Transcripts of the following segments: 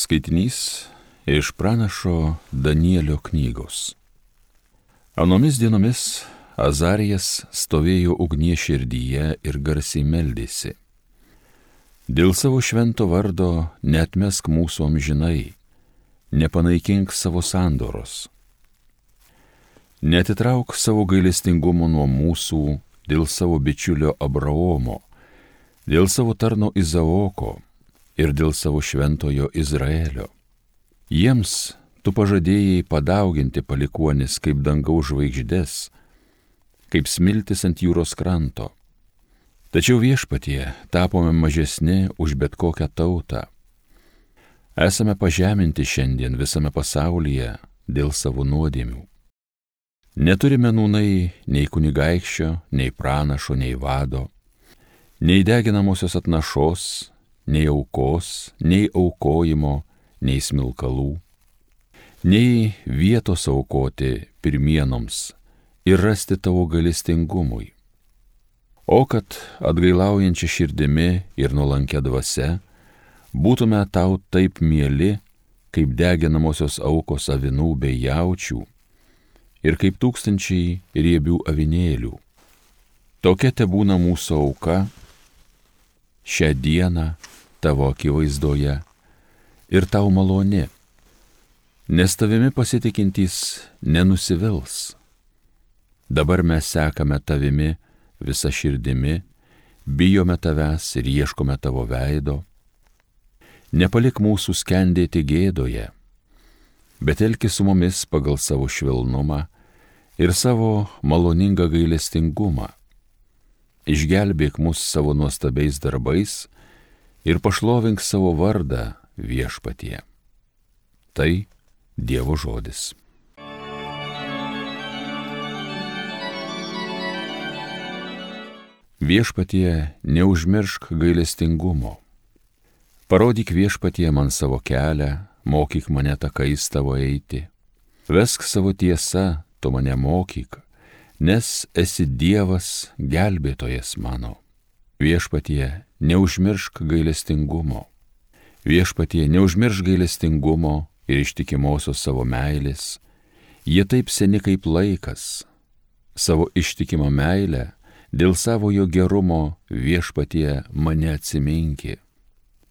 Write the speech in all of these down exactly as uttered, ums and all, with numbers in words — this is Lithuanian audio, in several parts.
Skaitinys iš pranašo Danielio knygos. Anomis dienomis Azarijas stovėjo ugnies širdyje ir garsiai meldėsi. Dėl savo švento vardo neatmesk mūsų amžinai, nepanaikink savo sandoros. Neatitrauk savo gailestingumo nuo mūsų dėl savo bičiulio Abraomo, dėl savo tarno Izaoko ir dėl savo šventojo Izraelio. Jiems tu pažadėjai padauginti palikuonis kaip dangaus žvaigždės, kaip smiltis ant jūros kranto. Tačiau Viešpatie tapome mažesni už bet kokią tautą. Esame pažeminti šiandien visame pasaulyje dėl savo nuodėmių. Neturime nūnai nei kunigaikščio, nei pranašo, nei vado, nei deginamosios atnašos, nei aukos, nei aukojimo, nei smilkalų, nei vietos aukoti pirmienoms ir rasti tavo gailestingumui. O kad atgailaujančia širdimi ir nuolankia dvasia būtume tau taip mieli, kaip deginamosios aukos avinų bei jaučių ir kaip tūkstančiai riebių avinėlių. Tokia tebūna mūsų auka šią dieną tavo akivaizdoje ir tau maloni, nes tavimi pasitikintys nenusivils. Dabar mes sekame tavimi visa širdimi, bijome tavęs ir ieškome tavo veido. Nepalik mūsų skendėti gėdoje, bet elkis su mumis pagal savo švelnumą ir savo maloningą gailestingumą. Išgelbėk mus savo nuostabiais darbais ir pašlovink savo vardą Viešpatie. Tai Dievo žodis. Viešpatie, neužmiršk gailestingumo. Parodyk Viešpatie man savo kelią, mokyk mane takais tavo eiti. Vesk savo tiesą, tu mane mokyk, nes esi Dievas gelbėtojas mano. Viešpatie, neužmiršk gailestingumo. Viešpatie, neužmiršk gailestingumo ir ištikimosios savo meilės. Jie taip seni kaip laikas. Savo ištikimą meilę, dėl savojo gerumo Viešpatie mane atsiminki.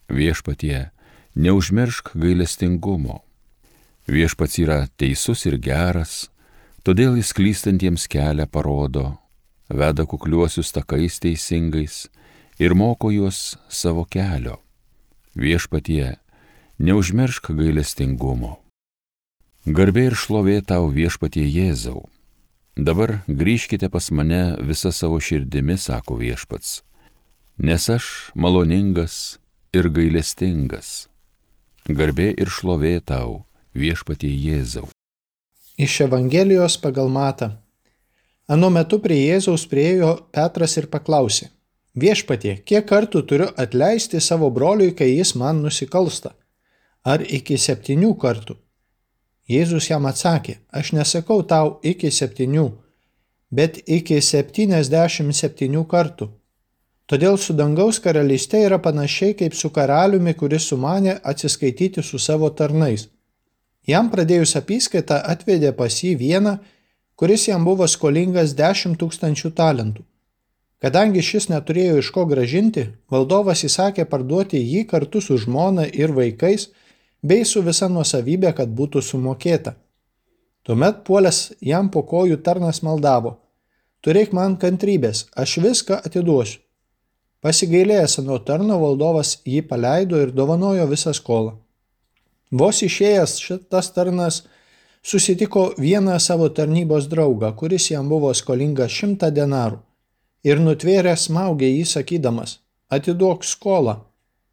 Viešpatie, neužmiršk gailestingumo. Viešpats yra teisus ir geras, todėl jis klystantiems kelią parodo, veda kukliuosius takais teisingais ir moko juos savo kelio. Viešpatie, neužmiršk gailestingumo. Garbė ir šlovė tau, Viešpatie Jėzau. Dabar grįžkite pas mane visa savo širdimi, sako Viešpats, nes aš maloningas ir gailestingas. Garbė ir šlovė tau, Viešpatie Jėzau. Iš Evangelijos pagal Matą. Anu metu prie Jėzaus priėjo Petras ir paklausė: Viešpatie, kiek kartų turiu atleisti savo broliui, kai jis man nusikalsta? Ar iki septynių kartų? Jėzus jam atsakė: Aš nesakau tau iki septynių, bet iki septyniasdešimt septynių kartų. Todėl su dangaus karalyste yra panašiai kaip su karaliumi, kuris sumanė atsiskaityti su savo tarnais. Jam pradėjus apyskaitą atvedė pas jį vieną, kuris jam buvo skolingas dešimt tūkstančių talentų. Kadangi šis neturėjo iš ko grąžinti, valdovas įsakė parduoti jį kartu su žmona ir vaikais, bei su visa nuosavybė, kad būtų sumokėta. Tuomet puolęs jam po kojų tarnas maldavo: Turėk man kantrybės, aš viską atiduosiu. Pasigailėjęs nuo tarno, valdovas jį paleido ir dovanojo visą skolą. Vos išėjęs šitas tarnas susitiko vieną savo tarnybos draugą, kuris jam buvo skolingas šimtą denarų, ir nutvėrė smaugė jį sakydamas: Atiduok skolą.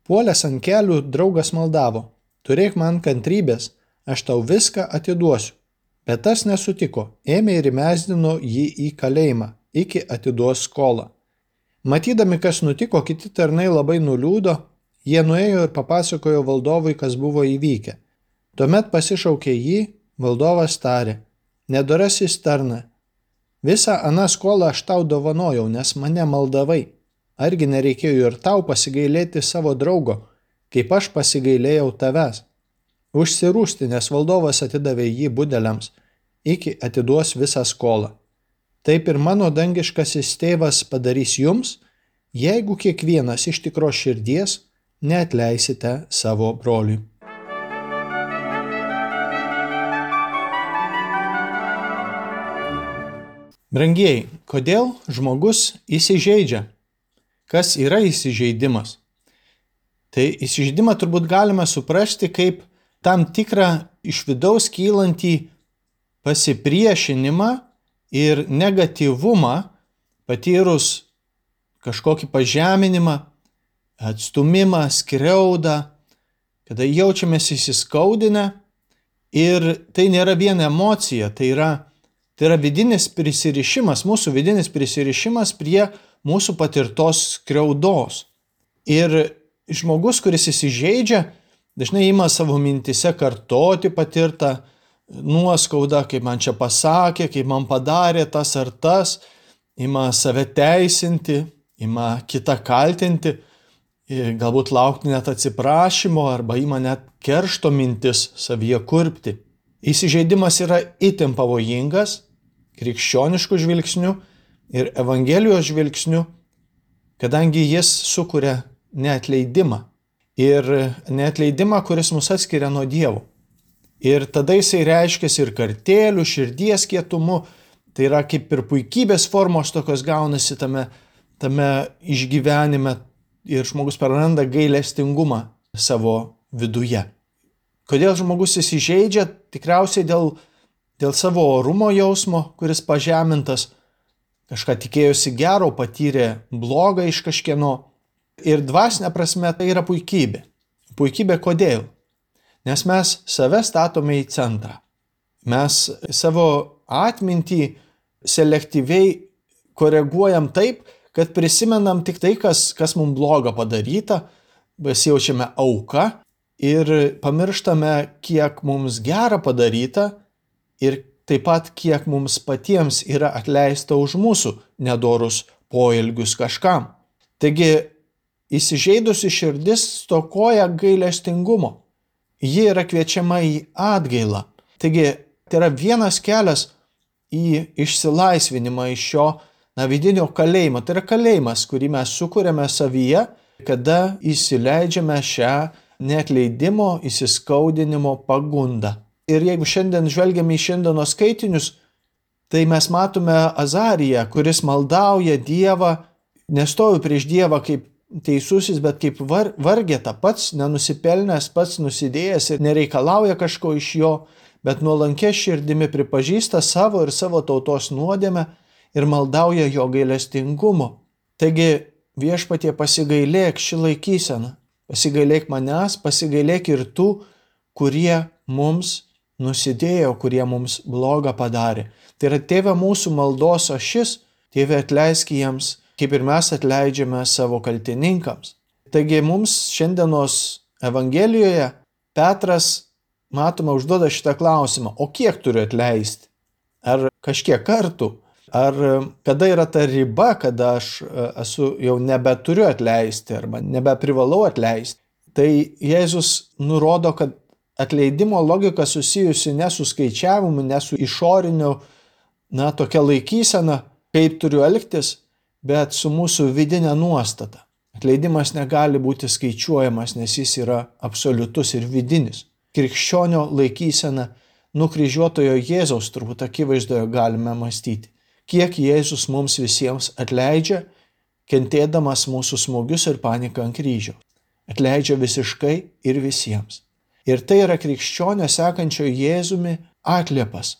Puolęs ant kelių draugas maldavo: Turėk man kantrybės, aš tau viską atiduosiu. Bet tas nesutiko, ėmė ir įmesdino jį į kalėjimą, iki atiduos skolą. Matydami, kas nutiko, kiti tarnai labai nuliūdo, jie nuėjo ir papasakojo valdovui, kas buvo įvykę. Tuomet pasišaukė jį, valdovas tarė: Nedorasis tarna, visą aną skolą aš tau dovanojau, nes mane maldavai. Argi nereikėjo ir tau pasigailėti savo draugo, kaip aš pasigailėjau tavęs? užsirūstinęs valdovas atidavė jį budeliams, iki atiduos visą skolą. Taip ir mano dangiškasis tėvas padarys jums, jeigu kiekvienas iš tikros širdies neatleisite savo broliui. Brangieji, kodėl žmogus įsižeidžia? Kas yra įsižeidimas? Tai įsižeidimą turbūt galime suprasti kaip tam tikrą iš vidaus kylantį pasipriešinimą ir negatyvumą patyrus kažkokį pažeminimą, atstumimą, skriaudą, kada jaučiamės įsiskaudinę ir tai nėra vien emocija, tai yra Tai yra vidinis prisirišimas, mūsų vidinis prisirišimas prie mūsų patirtos skriaudos. Ir žmogus, kuris įsižeidžia, dažnai ima savo mintise kartoti patirtą nuoskaudą, kaip man čia pasakė, kaip man padarė tas ar tas, ima save teisinti, ima kitą kaltinti, galbūt laukti net atsiprašymo arba ima net keršto mintis savyje kurpti. Įsižeidimas yra itin pavojingas, krikščioniškų žvilgsnių ir Evangelijos žvilgsnių, kadangi jis sukuria neatleidimą. Ir neatleidimą, kuris mus atskiria nuo Dievo. Ir tada jisai reiškiasi ir kartėlių, širdies kietumu, tai yra kaip ir puikybės formos tokios gaunasi tame, tame išgyvenime ir žmogus praranda gailestingumą savo viduje. Kodėl žmogus įsižeidžia? Tikriausiai dėl, dėl savo orumo jausmo, kuris pažemintas, kažką tikėjosi gero, patyrė blogą iš kažkieno. Ir dvasinė prasme tai yra puikybė. Puikybė kodėl? Nes mes save statome į centrą. Mes savo atmintį selektyviai koreguojam taip, kad prisimenam tik tai, kas, kas mums bloga padaryta, besijaučiame auka, ir pamirštame, kiek mums gera padaryta ir taip pat, kiek mums patiems yra atleista už mūsų nedorus poelgius kažkam. Taigi, įsižeidusi širdis stokoja gailestingumo. Ji yra kviečiama į atgailą. Taigi, tai yra vienas kelias į išsilaisvinimą iš šio na, vidinio kalėjimo. Tai yra kalėjimas, kurį mes sukuriame savyje, kada įsileidžiame šią neatleidimo, įsiskaudinimo pagundą. Ir jeigu šiandien žvelgiame į šiandienos skaitinius, tai mes matome Azariją, kuris maldauja Dievą, nestovi prieš Dievą kaip teisusis, bet kaip var, vargeta, pats nenusipelnęs, pats nusidėjęs ir nereikalauja kažko iš jo, bet nuolankia širdimi pripažįsta savo ir savo tautos nuodėmę ir maldauja jo gailestingumo. Taigi viešpatie pasigailėk šį laikyseną. Pasigailėk manęs, pasigailėk ir tų, kurie mums nusidėjo, kurie mums blogą padarė. Tai yra tėve mūsų maldos ašis, tėve atleisk jiems, kaip ir mes atleidžiame savo kaltininkams. Taigi mums šiandienos Evangelijoje Petras, matome, užduoda šitą klausimą, o kiek turiu atleisti? Ar kažkiek kartų? Ar kada yra ta riba, kada aš esu jau nebeturiu atleisti arba nebeprivalau atleisti? Tai Jėzus nurodo, kad atleidimo logika susijusi ne su skaičiavimu, ne su išoriniu, na, tokia laikysena, kaip turiu elgtis, bet su mūsų vidinė nuostata. Atleidimas negali būti skaičiuojamas, nes jis yra absoliutus ir vidinis. Krikščionio laikysena nukryžiuotojo Jėzaus turbūt akivaizdoje galime mąstyti. Kiek Jėzus mums visiems atleidžia, kentėdamas mūsų smūgius ir paniką ant kryžiaus. Atleidžia visiškai ir visiems. Ir tai yra krikščionio sekančio Jėzumi atliepas.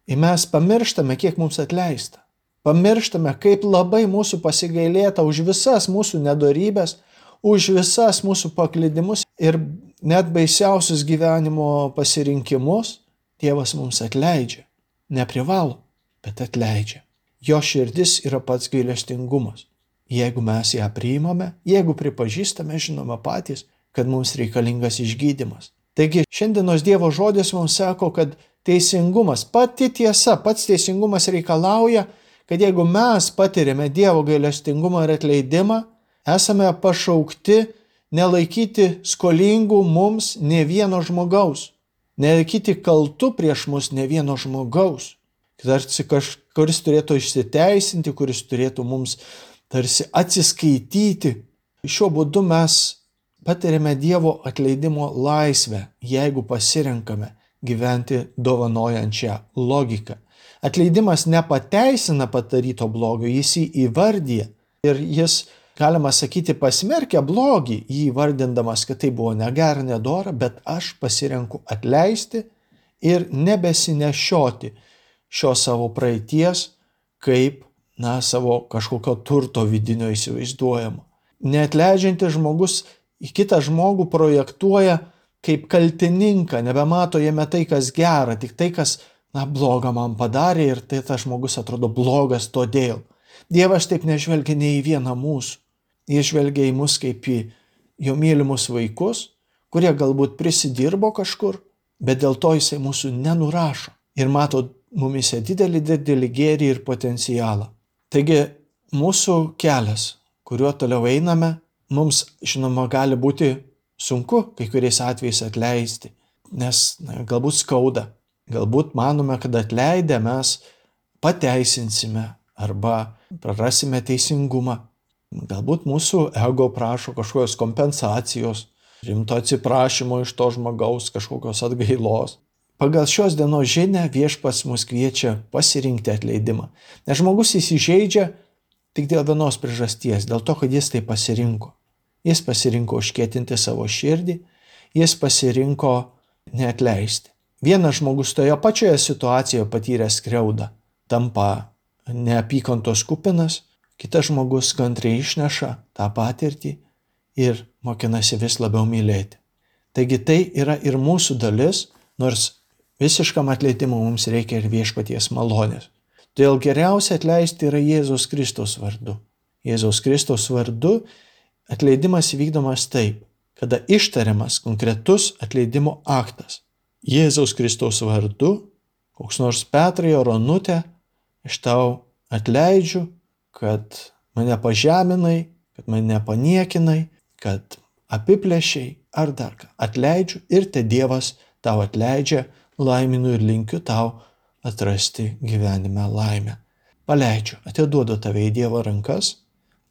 Ir mes pamirštame, kiek mums atleista. Pamirštame, kaip labai mūsų pasigailėta už visas mūsų nedorybės, už visas mūsų paklydimus ir net baisiausius gyvenimo pasirinkimus. Dievas mums atleidžia. Neprivalo, bet atleidžia. Jo širdis yra pats gailestingumas. Jeigu mes ją priimame, jeigu pripažįstame, žinome patys, kad mums reikalingas išgydymas. Taigi šiandienos Dievo žodis mums sako, kad teisingumas, pati tiesa, pats teisingumas reikalauja, kad jeigu mes patiriame Dievo gailestingumą ir atleidimą, esame pašaukti nelaikyti skolingų mums nė vieno žmogaus. nelaikyti kaltu prieš mus ne vieno žmogaus, tarsi kažkuris turėtų išsiteisinti, kuris turėtų mums tarsi atsiskaityti. Šiuo būdu mes patiriame Dievo atleidimo laisvę, jeigu pasirenkame gyventi dovanojančią logiką. Atleidimas nepateisina padaryto blogio, jis jį įvardyja ir jis, galima sakyti, pasmerkia blogį, jį įvardindamas, kad tai buvo negera, nedora, bet aš pasirenku atleisti ir nebesinešioti šio savo praeities kaip, na, savo kažkokio turto vidinio įsivaizduojamo. Neatleidžiantis žmogus į kitą žmogų projektuoja kaip kaltininką, nebemato jame tai, kas gera, tik tai, kas, na, blogą man padarė ir tai tas žmogus atrodo blogas todėl. Dievas taip nežvelgia nei į vieną mūsų. Jis žvelgia į mus kaip į jo mylimus vaikus, kurie galbūt prisidirbo kažkur, bet dėl to jisai mūsų nenurašo ir mato mumise didelį, didelį gėrį ir potencialą. Taigi mūsų kelias, kuriuo toliau einame, mums, žinoma, gali būti sunku kai kuriais atvejais atleisti, nes na, galbūt skauda, galbūt manome, kad atleidę mes pateisinsime arba prarasime teisingumą. Galbūt mūsų ego prašo kažkokios kompensacijos, rimto atsiprašymo iš to žmogaus, kažkokios atgailos. Pagal šios dienos žinią Viešpats mus kviečia pasirinkti atleidimą. Nes žmogus įsižeidžia tik dėl vienos priežasties, dėl to, kad jis tai pasirinko. Jis pasirinko užkietinti savo širdį, jis pasirinko neatleisti. Vienas žmogus toje pačioje situacijoje patyręs skriaudą tampa neapykantos kupinas, kitas žmogus kantriai išneša tą patirtį ir mokinasi vis labiau mylėti. Taigi tai yra ir mūsų dalis, nors visiškam atleidimui mums reikia ir Viešpaties malonės. Todėl geriausia atleisti yra Jėzaus Kristaus vardu. Jėzaus Kristaus vardu atleidimas vykdomas taip, kada ištariamas konkretus atleidimo aktas. Jėzaus Kristaus vardu, koks nors Petrai ar Onutė, aš tau atleidžiu, kad mane pažeminai, kad mane paniekinai, kad apiplėšiai ar dar ką. Atleidžiu ir te Dievas tau atleidžia, laiminu ir linkiu tau atrasti gyvenime laimę. Paleidžiu, atiduodu tave į Dievo rankas,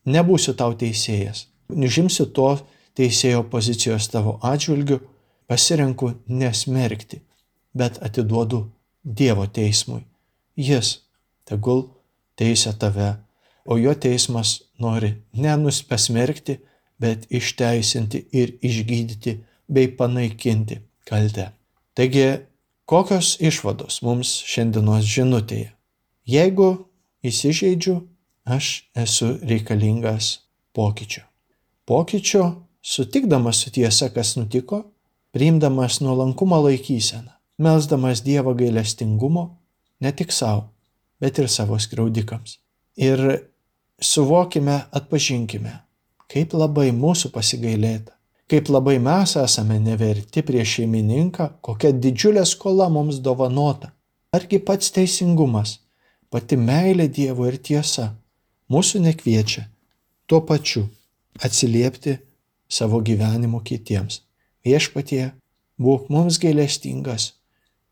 nebūsiu tau teisėjas, užimsiu to teisėjo pozicijos tavo atžvilgiu, pasirenku nesmerkti, bet atiduodu Dievo teismui. Jis tegul teisia tave, o jo teismas nori nenuspasmerkti, bet išteisinti ir išgydyti bei panaikinti kaltę. Taigi, kokios išvados mums šiandienos žinutėje? Jeigu įsižeidžiu, aš esu reikalingas pokyčio. Pokyčio sutikdamas su tiesa, kas nutiko, priimdamas nuolankumo laikyseną, melsdamas Dievo gailestingumo ne tik savo, bet ir savo skriaudikams. Ir suvokime, atpažinkime, kaip labai mūsų pasigailėta, kaip labai mes esame neverti prieš šeimininką, kokia didžiulė skola mums dovanota. Argi pats teisingumas, pati meilė Dievo ir tiesa mūsų nekviečia tuo pačiu atsiliepti savo gyvenimu kitiems. Viešpatie, būk mums gailestingas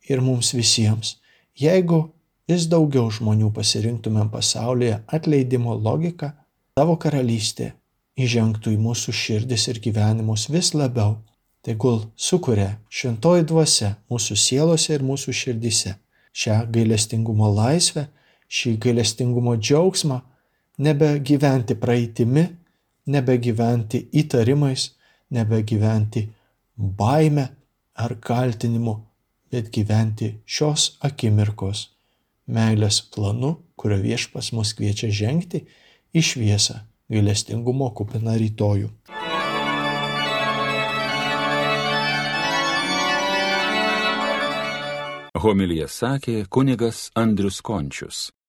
ir mums visiems. Jeigu vis daugiau žmonių pasirinktumėm pasaulyje atleidimo logiką, tavo karalystė įžengtų į mūsų širdis ir gyvenimus vis labiau. Tegul sukuria šventoji dvasia mūsų sielose ir mūsų širdise šią gailestingumo laisvę, šį gailestingumo džiaugsmą, nebegyventi praeitimi, nebegyventi įtarimais, nebegyventi baime ar kaltinimu, bet gyventi šios akimirkos meilės planu, kurio Viešpats mus kviečia žengti į šviesą gailestingumo kupiną rytojų. Homiliją sakė kunigas Andrius Končius.